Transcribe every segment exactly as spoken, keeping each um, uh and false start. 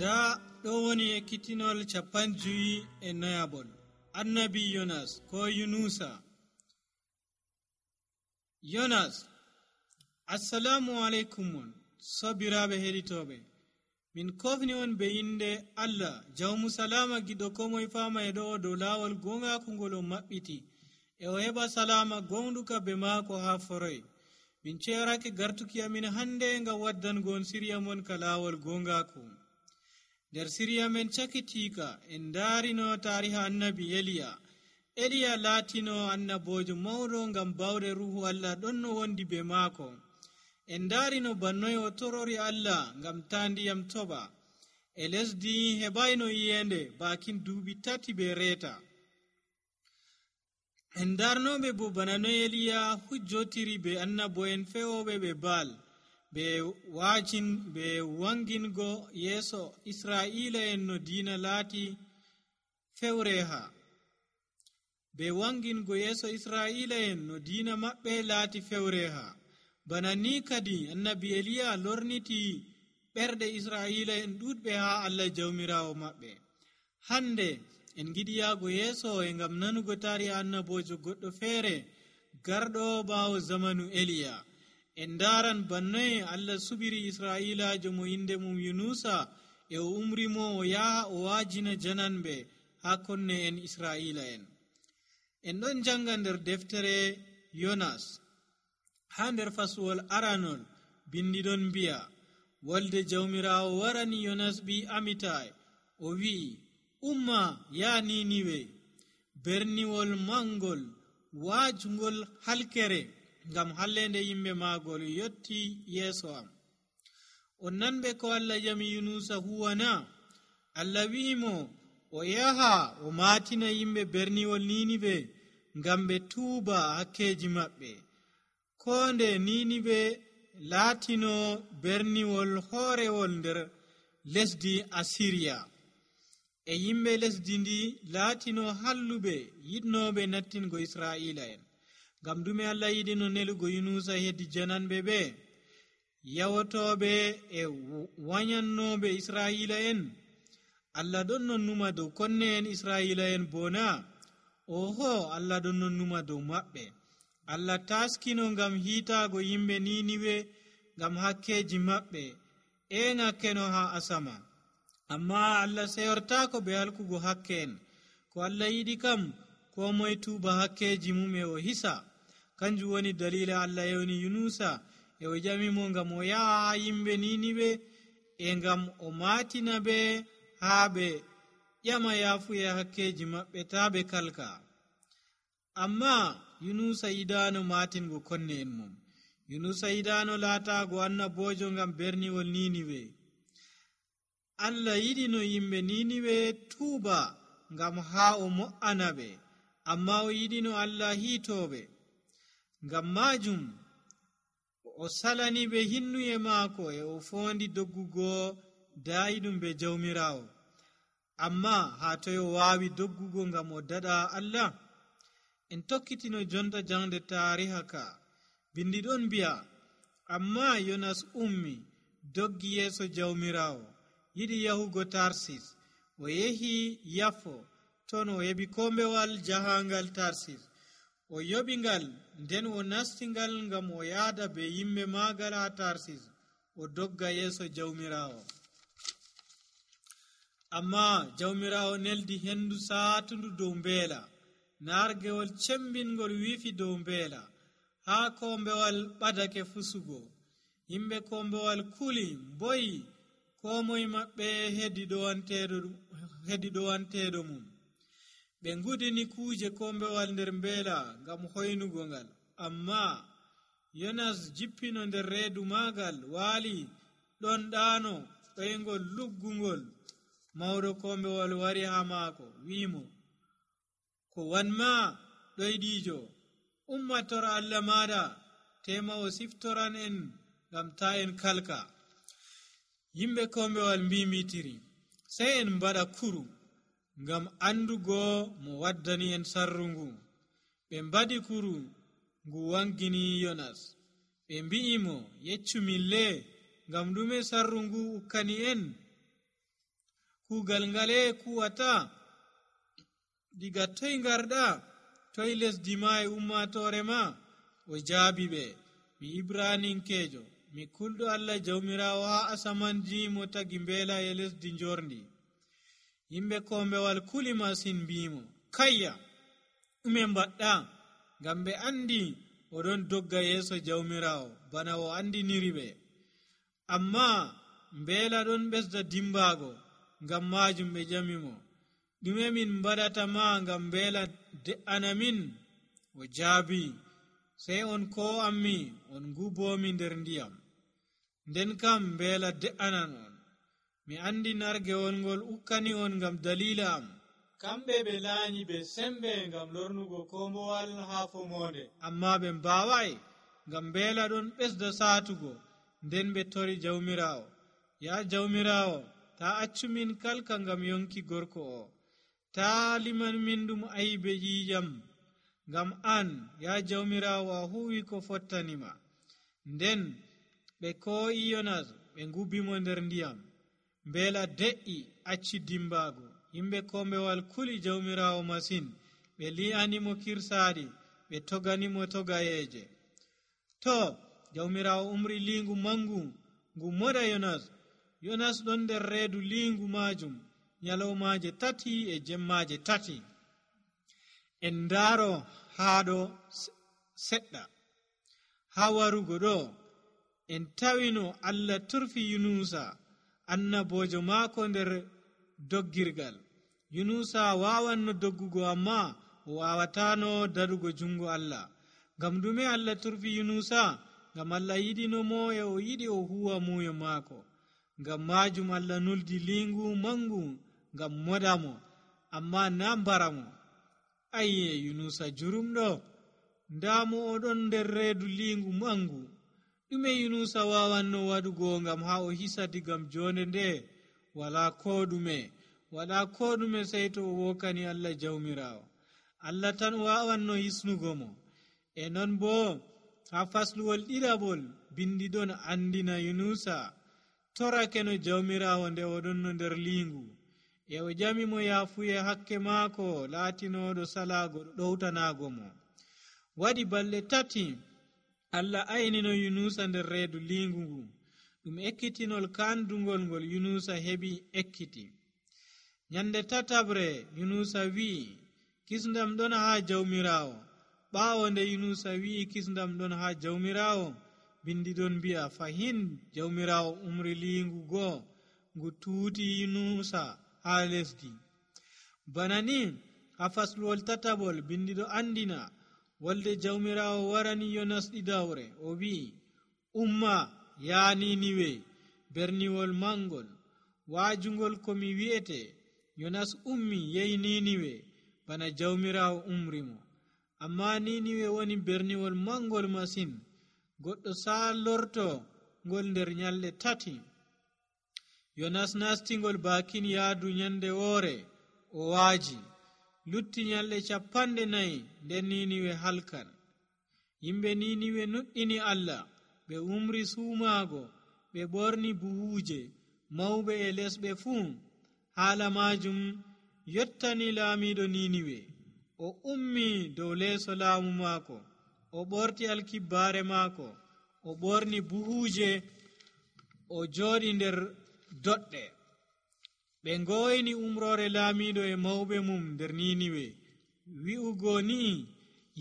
nda ɗo woni ekkitinol capan joyi e noyabol annabi yonas ko yunusa. yonas assalamu aleykum on sobiraɓe heɗitoɓe, min kofni on be inde allah jawmu salama giɗo komoye fama e ɗo dow lawol gongaku ngol o maɓɓiti e o heɓa salama gonɗuka be maako ha foroy. min cerake gartuki amin hande ngam waddango on siriya mon ka lawol gongaku. nder siriya men cakitika en darino tariha annabi eliya. eliya latino annabojo mawɗo ngam bawɗe ruhu allah ɗon no wondi be maako. en darino bannoy o torori allah ngam ta ndiyam toɓa e lesdi heɓayno yiyende bakin duuɓi tati be reeta. en darnoɓe bo bana no eliya hujjotiri be annabo'en fewoɓe ɓe baal be wajin be wangingo yeeso israila en no diina laati fewreha be wangingo yeeso israila en no diina maɓɓe laati fewreha. bana ni kadi annabi eliya lorniti ɓerɗe israila en ɗuɗɓe ha allah jawmirawo maɓɓe. hande en giɗi yaago yeeso e ngam nanugo tari annabojo goɗɗo feere garɗo ɓawo zamanu eliya. en daran bannoye allah subiri israilajo mo inde mum yunusa e o umrimo o yaha o wajina jananɓe ha konne en israila en. en ɗon janga nder deftere yonas ha nder fasuwol aranol bindiɗon mbiya wolde jawmirawo warani yonas ɓi amitai o wi'i umma ya niniwe berniwol mangol wajugol halkere ngam hallende yimɓe magol yotti yeeso am. on nanɓe ko allah yami yunusa huwana. allah wi'imo o yaha o matina yimɓe berniwol ninibe ngam ɓe tuuba hakkeji maɓɓe. ko nde ninibe laatino berniwol hoorewol nder lesdi asiriya e yimɓe lesdi ndi laatino halluɓe yiɗnoɓe nattingo israila en. ngam dume allah yiɗino nelugo yunusa heddi jananɓe ɓe yawotoɓe e wayannoɓe israila en? allah ɗon non numa dow konne en israila en bona? oho, allah ɗon non numa dow maɓɓe. allah taskino ngam hiitago yimɓe niniwe ngam hakkeji maɓɓe en hakkeno ha asama. amma allah seyortako be halkugo hakke en. ko allah yiɗi kam ko moye tuuba hakkeji mum e o hisa. kanjum woni dalila allah yewni yunusa e o jamimo ngam o yaha ha yimɓe niniwe e ngam o matina ɓe ha ɓe ƴama yafuye hakkeji maɓɓe ta ɓe kalka. amma yunusa yidano matingo konne en mum. yunusa yidano laatago annabojo ngam berniwol niniwe. allah yiɗino yimɓe niniwe tuuba ngam ha o mo'ana ɓe, amma o yiɗino allah hiitoɓe. ngam majum o salani ɓe hinnuye maako e o fondi doggugo dayiɗum be jawmirawo. amma ha toy o wawi doggugo ngam o daɗa allah? en tokkitino jonta jangde tariha ka. bindiɗon mbiya amma yonas ummi doggi yeeso jawmirawo, yiɗi yahugo tarsis. o yehi yafo ton o heɓi kombewal jahangal tarsis. o yoɓi ngal nden o nasti ngal ngam o yaada be yimɓe maagal ha tarsis o dogga yeeso jawmirawo. amma jawmirawo neldi hendu saatundu dow mbeela. nargewol cembingol wifi dow mbeela. ha kombewal ɓadake fusugo. yimɓe kombewal kuli boyi, ko moye maɓɓe hedi ɗowanteɗo mum. ɓe ngudini kuje kombewal nder mbeela ngam hoynugo ngal. amma yonas jippino nder reedu maagal waali ɗon ɗaano ɗoyngol luggungol. mawɗo kombewal wari ha maako wi'imo ko wanma ɗoyɗijo, ummatora allah maɗa tema o siftoran en ngam ta en kalka. yimɓe kombewal mbimitiri sey en mbaɗa kuru ngam andugo mo waddani en sarru ngu. ɓe mbaɗi kuru ngu wangini yonas. ɓe mbi'imo yeccumin le ngam ɗume sarru ngu ukkani en? kuugal ngale kuwata? Diga toy ngarɗa? Toy lesdi ma e ummatore ma? O jaabi ɓe, mi Ibraninkeejo, mi kulɗo Allah jawmirawo ha asamanji mo tagi mbeela e lesdi njorndi. Yimɓe kombewal kuli masin mbimo, kayya, ɗume mbaɗɗa? Ngam ɓe andi oɗon dogga yeeso jawmirawo bana o andiniri ɓe. Amma mbeela ɗon ɓesda dimbaago, ngam majum ɓe jamimo, ɗume min mbaɗata ma ngam mbeela de'ana min? O jaabi, sey on ko ammi on ngubomi nder ndiyam, nden kam mbeela de'anan on. Mi andi nargewol ngol ukkani on ngam dalila am. Kamɓe ɓe laanyi be sembe ngam lornugo kombowal ha fomonde, amma ɓe mbawai, ngam mbeela ɗon ɓesda saatugo. Nden ɓe tori jawmirawo, ya jawmirawo, ta accu min kalka ngam yonki gorko o, ta liman min ɗum aibe ƴiƴam, ngam an ya jawmirawo a huwi ko fottanima. Nden ɓe ko'i Yonas ɓe ngubimo nder ndiyam. Mbeela de'i acci dimbaago. Yimɓe kombewal kuli jawmirawo masin, ɓe li'animo kirsaɗi, ɓe toganimo togayeje. To jawmirawo umri lingu mangu ngu moɗa Yonas. Yonas ɗon nder reedu lingu majum nyalawmaje tati e jemmaje tati. En ndaaro haɗo seɗɗa. Ha warugo ɗo en tawino Allah turfi Yunusa annabojo maako nder doggirgal. Yunusa wawanno doggugo, amma o wawatano daɗugo jungo Allah. Ngam ɗume Allah turfi Yunusa? Ngam Allah yiɗinomo e o yiɗi o huwa muyo maako. Ngam majum Allah nuldi lingu mangu ngam moɗamo, amma na mbaramo. Ayye Yunusa jurumɗo, ndamo oɗon nder reedu lingu mangu. Ɗume Yunusa wawanno waɗugo ngam ha o hisa digam jonde nde? Wala ko ɗume, wala ko ɗume sey to o wokani Allah jawmirawo. Allah tan wawanno hisnugo mo. E non bo ha fasluwol ɗiɗaɓol bindiɗon andina Yunusa torake no jawmirawo nde oɗon no nder lingu, e o jamimo yafuye hakke maako laatinoɗo salago ɗowtanago mo. Waɗi balɗe tati Allah aynino Yunusa nder reedu lingu ngu. Ɗum ekkitinol kandugol ngol Yunusa heɓi ekkiti. Nyande tatabre Yunusa wi'i, kisndam ɗon ha jawmirawo. Ɓaawo nde Yunusa wi'i kisndam ɗon ha jawmirawo, bindi ɗon mbi'a fahin jawmirawo umri lingu goo ngu tuuti Yunusa ha lesdi. Bana ni ha fasluwol tataɓol bindi ɗo andina wolde jawmirawo warani Yonas ɗiɗawre. O wi'i, umma ya Niniwe, berniwol mangol, waajungol komi wi'ete. Yonas ummi yehi Niniwe bana jawmirawo umrimo. Amma Niniwe woni berniwol mangol masin, goɗɗo saalorto ngol nder nyalɗe tati. Yonas nastingol bakin yaadu nyande woore, o waaji. Lutti nyalɗe capanɗe nayi nden Niniwe halkan. Yimɓe Niniwe nuɗɗini Allah, ɓe umri suumaago, ɓe ɓorni buhuuje, mawɓe e lesɓe fuu. Haala majum yottani laamiɗo Niniwe. O ummi dow leeso laamu maako, o ɓorti alkibbaare maako, o ɓorni buhuuje, o jooɗi nder doɗɗe. Ɓe ngoyni umrore laamiɗo e mawɓe mum nder Niniwe, wi'ugo ni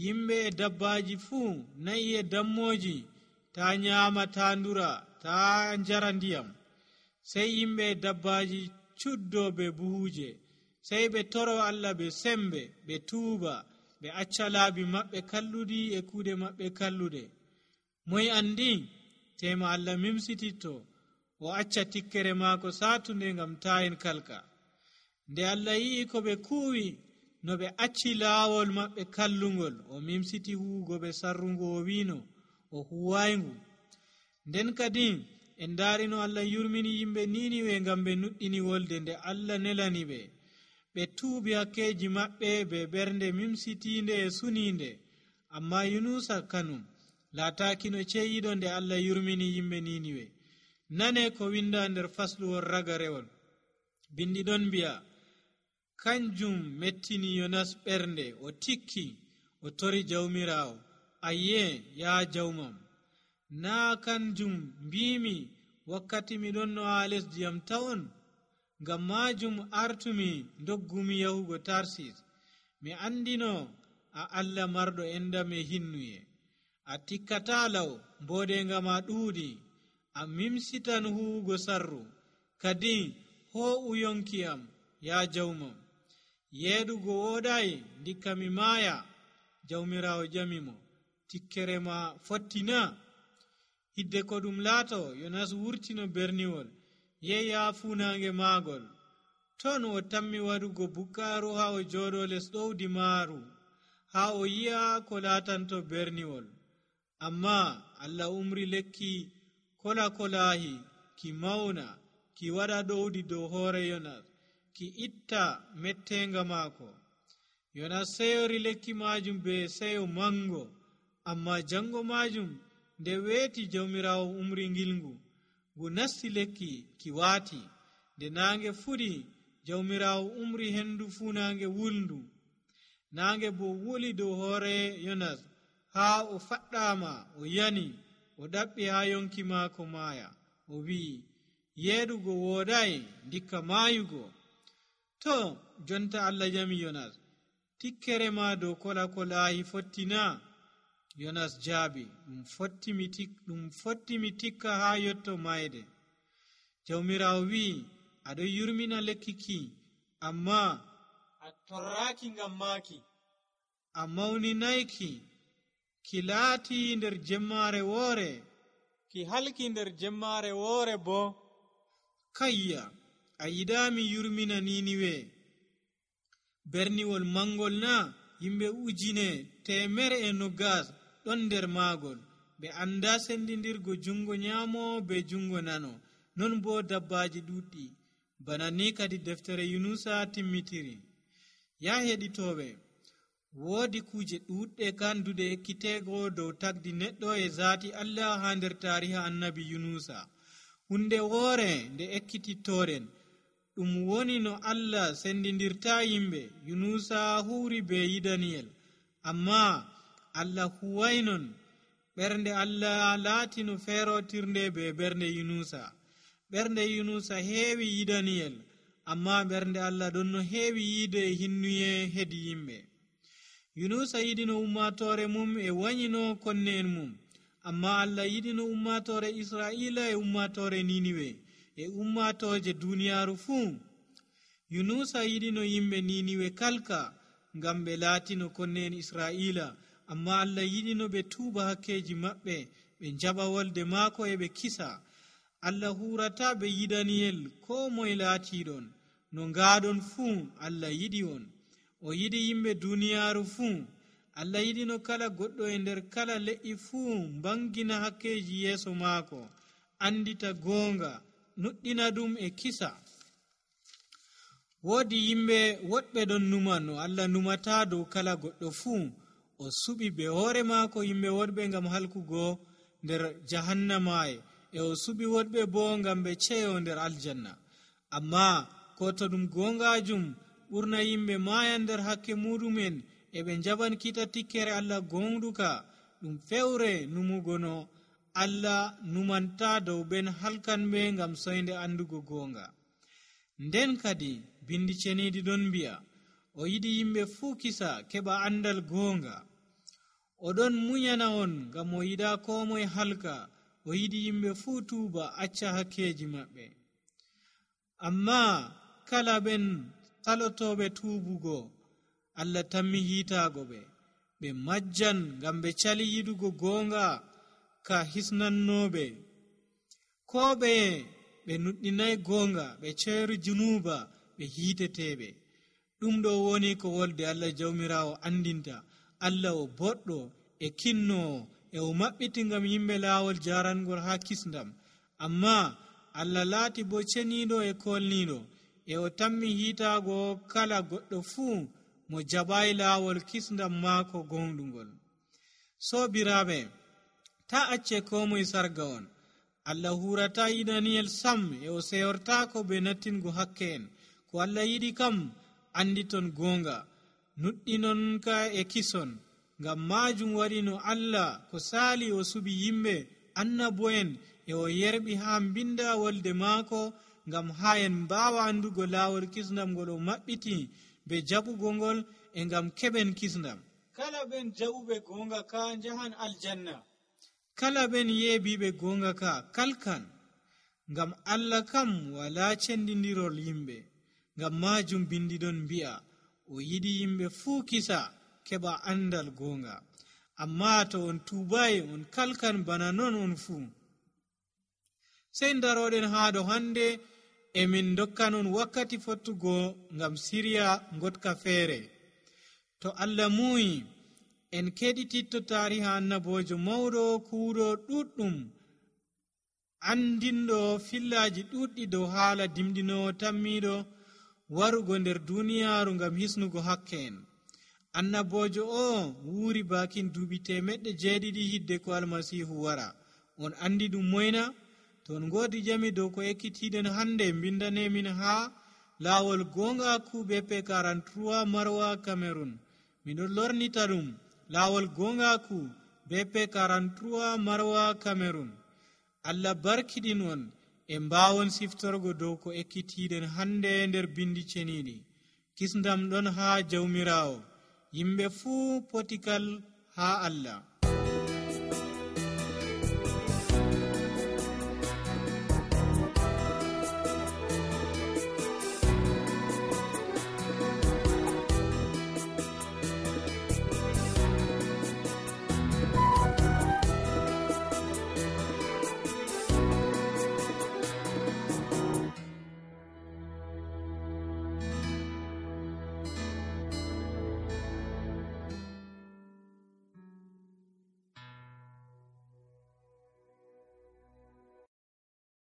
yimɓe e dabbaji fuu, nayi e dammoji, ta nyaama, ta ndura, ta njara ndiyam. Sey yimɓe e dabbaji cuddo be buhuje, sey ɓe toro Allah be sembe, ɓe tuuba, ɓe acca laabi maɓɓe kalluɗi e kuuɗe maɓɓe kalluɗe. Moy andi tema Allah mimsititto, o acca tikkere maako satunde ngam ta en kalka. Nde Allah yi'i ko ɓe kuuwi, no ɓe acci laawol maɓɓe kallungol, o mimsiti huugo ɓe sarrungo, o wino o huwayngu. Nden kadi en daarino Allah yurmini yimɓe Niniwe ngam ɓe nuɗɗini wolde nde Allah nelani ɓe. Ɓe tuubi hakkeji maɓɓe be ɓernde mimsitinde e suninde. Amma Yunusa kanum laatakino ceyiɗo nde Allah yurmini yimɓe Niniwe. Nane ko winda nder fasluwol ragarewol. bindi ɗon mbi'a kanjum mettini yonas ɓernde o tikki o tori jawmirawo ayye ya jawmam naa kanjum mbimi wakkati miɗon no ha lesdiyam tawon ngam majum artumi doggumi yahugo tarsis mi andino a Allah marɗo endam e hinnuye a tikkata law mbodenga ma ɗuuɗi a mimsitan huwugo sarru kadi ho'u yonkiyam ya jawmam yeeɗugo woɗayi ndikka mi maaya jawmirawo jamimo tikkere ma fottina hidde ko ɗum laato yonas wurtino berniwol yehi ha funange maagol ton o tammi waɗugo bukkaaru ha o jooɗo les ɗowdi maaru ha o yi'a ko laatanto berniwol amma Allah umri lekki kola kolahi ki mauna ki waɗa ɗowdi dow hoore yonas ki itta mettenga maako yonas seyori lekki majum be seyo mango amma jango majum nde weeti jawmirawo umri ngilngu ngu nasti lekki ki waati nde naange fuɗi jawmirawo umri hendu funange wulndu naange bo wuli dow hoore yonas haa o faɗɗama o yani o ɗaɓɓi ha yonki maako maaya o wi'i yeeɗugo wooɗayi ndikka maayugo to jonta Allah jami yonas tikkere ma dow kola kolahi fottina yonas jaabi ɗum fottimi tik ɗum fottimi tikka ha yotto mayde jawmirawo wi'i aɗo yurmina lekki ki amma a torraki ngam maaki a mawninayki ki laati nder jemmare woore ki halki nder jemmare woore bo kayya a yidami yurmina niniwe berniwol mangol na yimɓe ujine temere e nogas ɗon nder maagol ɓe anda sendidirgo jungo nyamo be jungo nano non bo dabbaji ɗuɗɗi bana ni kadi deftere yunusa timmitiri ya heɗitoɓe woodi kuje ɗuɗɗe kandude ekkitego dow tagdi neɗɗo e zaati Allah ha nder tariha annabi yunusa hunde woore nde ekkitittoren ɗum woni no Allah sendidirta yimɓe yunusa huuri be yidaniyel amma Allah huwaynon ɓernde Allah laatino feerotirnde be ɓernde yunusa ɓernde yunusa heewi yidaniyel amma ɓernde Allah ɗon no heewi yiide e hinnuye hedi yimɓe yunusa yiɗino ummatore mum e wanyino konne en mum amma Allah yiɗino ummatore Israila e ummatore Niniwe e ummatoje duniyaru fuu yunusa yiɗino yimɓe Niniwe kalka ngam ɓe laatino konne en Israila amma Allah yiɗino ɓe tuuba hakkeji maɓɓe ɓe jaɓa wolde maako e ɓe kisa Allah hurata ɓe yidaniyel ko moye laatiɗon no ngaɗon fuu Allah yiɗi on o yiɗi yimɓe duniyaru fuu Allah yiɗino kala goɗɗo e nder kala le'i fuu mbangina hakkeji yeeso maako andita goonga nuɗɗina ɗum e kisa woodi yimɓe woɗɓe ɗon numa no Allah numata dow kala goɗɗo fuu o suɓi be hoore maako yimɓe woɗɓe ngam halkugo nder jahannamaye e o suɓi woɗɓe bo ngam ɓe ceyo nder aljanna amma ko to ɗum gongajum ɓurna yimɓe maya nder hakke muɗumen e ɓe jaɓan kita tikkere Allah gonɗuka ɗum fewre numugo no Allah numanta dow ɓen halkanɓe ngam soyde andugo gonga nden kadi bindi ceniidi ɗon mbi'a o yiɗi yimɓe fuu kisa keɓa andal gonga oɗon munyana on ngam o yiɗa ko moye halka o yiɗi yimɓe fuu tuuba acca hakkeji maɓɓe amma kala ɓen talotoɓe tuubugo Allah tammi hiitaago ɓe ɓe majjan ngam ɓe cali yiɗugo goonga ka hisnannoɓe ko ɓeye ɓe nuɗɗinay goonga ɓe ceeru junuba ɓe hiiteteɓe ɗum ɗo woni ko wolde Allah jawmirawo andinta Allah o boɗɗo e kinnowo e o maɓɓiti ngam yimɓe laawol jarangol ha kisndam amma Allah laati bo ceniiɗo e kolniiɗo e o tammi hiitaago kala goɗɗo fuu mo jaɓayi laawol kisndam maako gonɗungol sobiraɓe ta acce ko moye sarga on Allah hurata yidaniyel sam e o seyortako be nattingo hakke en. Ko Allah yiɗi kam anditon gonga, nuɗɗinon ka e kison. Ngam majum waɗi no Allah ko sali o subi yimɓe annabo'en e o yerɓi ha binda wolde maako, ngam ha en mbawa andugo lawol kisndam ngol o maɓɓiti be jaɓugo ngol, e ngam keɓen kisndam. Kala ɓen jaɓuɓe gonga ka jahan aljanna, kala ɓen yeebiɓe gonga ka kalkan. Ngam Allah kam wala cendidirol yimɓe. Ngam majum bindiɗon mbi'a o yiɗi yimɓe fuu kisa keɓa andal gonga. Amma to on tubai on kalkan bana non on fuu. Sei daroɗen haɗo hande e min dokkanon wakkati fottugo ngam siriya gotka feere. To Allah muyi en keɗititto tariha annabojo mawɗo kuuɗo ɗuɗɗum, andinɗo fillaji ɗuɗɗi dow haala dimɗinowo tammiɗo warugo nder duniyaaru ngam hisnugo hakke en. Annabojo o wuuri bakin duuɓi temeɗɗe jeeɗiɗi hidde ko almasihu wara. On andi ɗum moyna? To on godi jami dow ko ekkitiɗen hande, mbindanemin ha lawol gongaku B P quarante-trois Marwa Cameroon. Miɗon lornita ɗum lawol gongaku B P quarante-trois Marwa Cameroon. Allah barkiɗin on e mbawon siftorgo dow ko ekkitiɗen hande nder bindi ceniɗi. Kisndam ɗon ha jawmirawo. Yimɓe fuu potikal ha Allah.